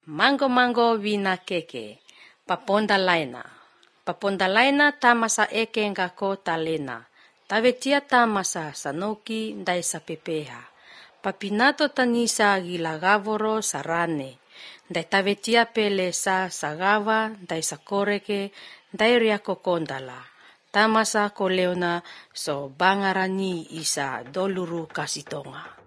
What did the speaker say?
Mango vina keke. Paponda laina tamasa eke ngako talena. Tavetia tamasa sanoki ndai sa pepeha. Papinato tanisa gilagavoro sarane. Ndai tavetia pele sa sagava ndai sa koreke ndai riako kondala. Tamasa koleona so bangarani isa doluru kasitonga.